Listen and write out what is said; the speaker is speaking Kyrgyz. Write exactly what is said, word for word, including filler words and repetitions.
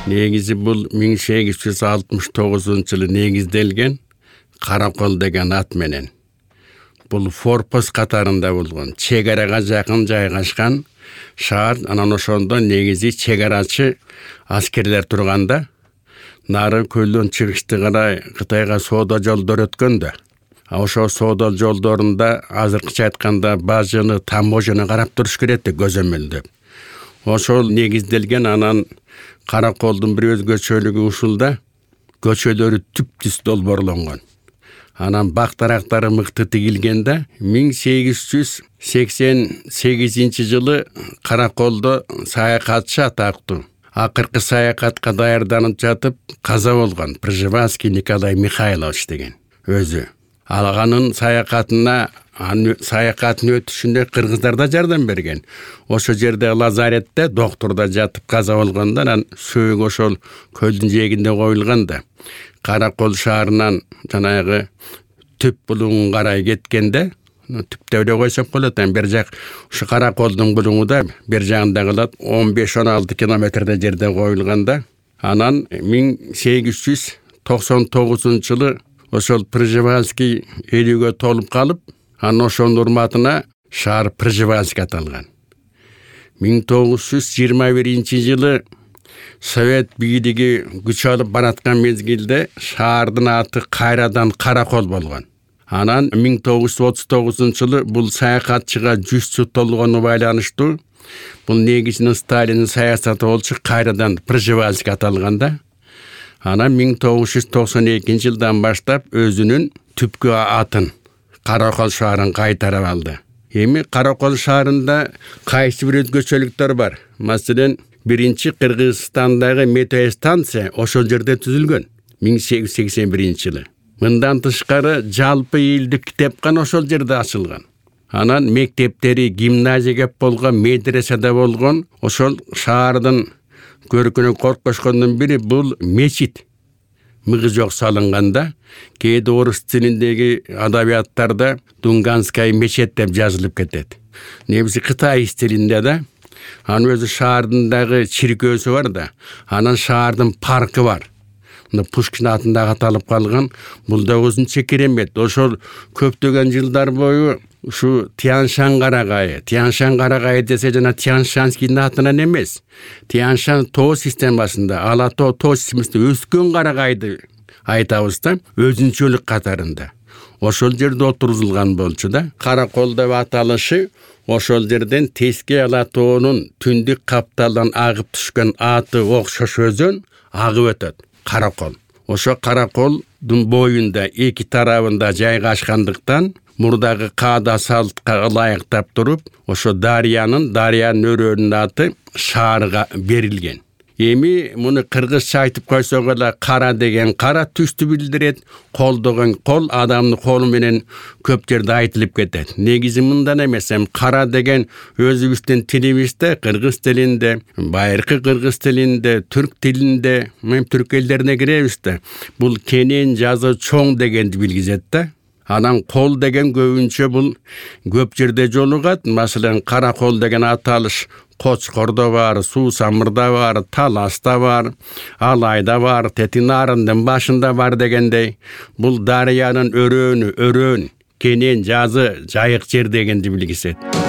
Негизи бул миң сегиз жүз алтымыш тогузунчу жылы негизделген Каракол деген ат менен. Бул форпост катарында болгон, чек арага жакын жайгашкан шаар. Анан ошондо негизи чек арачы аскерлер турганда, нары көлдөн чыгышты карай Кытайга соода жолдор өткөндө. А ошо соода жолдорунда азыркыча айтканда бажыны, таможняны карап туруш керек да көзөмөлдөп. Ошол негизделген. Анан Караколдун бир өзгөчөлүгү ушулда көчөлөрү түп-түз долбоорлонгон. Анан бактарактары мыкты тигилгенде миң сегиз жүз сексен сегизинчи жылы Караколдо саякатчы атактуу акыркы саякатка даярданып жатып каза болгон Пржевальский Николай Михайлович деген өзү. Алганын саякатына, саякаттын өтүшүндө кыргыздар да жардам берген. Ошо жерде лазаретте докторда жатып каза болгондо, анан сөөг ошол көлдүн жээгинде коюлган да. Каракол шаарынан жанагы түп булуңун карай кеткенде, түптө эле койсоп болот. Бер жак ушу Караколдун булуңу да бер жагында калат, он беш он алты километрде жерде коюлганда, анан миң сегиз жүз токсон тогузунчу жылы ошол Пржевальский элүүгө толуп калып, анан ошонун урматына шаар Пржевальский аталган. миң тогуз жүз жыйырма биринчи жылы Совет бийлиги күч алып бараткан мезгилде шаардын аты кайрадан Каракол болгон. Анан миң тогуз жүз отуз тогузунчу жылы бул саякатчыга жүз жыл толгону байланыштуу бул негизинен Сталиндин саясаты болчу, кайрадан Пржевальский аталганда. Анан миң тогуз жүз токсон экинчи жылдан баштап өзүнүн түпкү атын Каракол шаарын кайтарып алды. Эми Каракол шаарында кайсы бир өзгөчөлүктөр бар. Маселен, биринчи Кыргызстандагы метеостанция ошол жерде түзүлгөн миң сегиз жүз сексен биринчи жылы. Мындан тышкары жалпы элдик китепкана ошол жерде ачылган. Анан мектептери, гимназия кеп болгон, медреседе болгон. Ошол шаардын көркүнө коркошкондун бири бул мечит. Мыгы жок салынганда, кээде орус тилиндеги адабияттарда Дунганская мечеть деп жазылып кетет. Негизи Кытай стилинде да. Анын өзү шаардындагы чиркөөсү бар да. Анан шаардын паркы бар. Пушкин атындагы аталып калган. Бул да өзүнчө керемет. Ошол көптөгөн жылдар бою ушу Тяньшан карагайы, Тяньшан карагайы десе жана Тяньшанскийдин атынан эмес. Тяньшан тоо системасында, Ала тоо тоо системасында өскөн карагайды айтабыз да, өзүнчөлүк катарында. Ошол жерде отурузулган болчу да. Каракол деп аталышы ошол жерден Теске Ала тоонун түндүк капталдан агып түшкөн аты окшош өзөн агып өтөт. Каракол. Ошо Караколдун боюнда эки тарабында жайгашкандыктан мурдагы каада салтка ылайыктап туруп, ошо дарыянын, дарыянын өрөөнүн аты шаарга берилген. Эми муну кыргызча айтып койсок эле кара деген кара түстү билдирет, кол деген кол адамдын колу менен көп жерде айтылып кетет. Негизи мындан эмес, эми кара деген өзүбүздүн тилибизде, кыргыз тилинде, байыркы кыргыз тилинде, түрк тилинде, мен түрк элдерине киребиз да. Бул кенен, жазы, чоң дегенди билгизет да. Анан кол деген көбүнчө бул көп жерде жолугат. Маселен, Каракол деген аталыш Кочкордо бар, Суу Самырда бар, Таласта бар, Алайда бар, Тетинарындын башында бар дегендей. Бул дарыянын өрөөнү, өрөөн, кенен, жазы, жайык жер дегенди билгизет.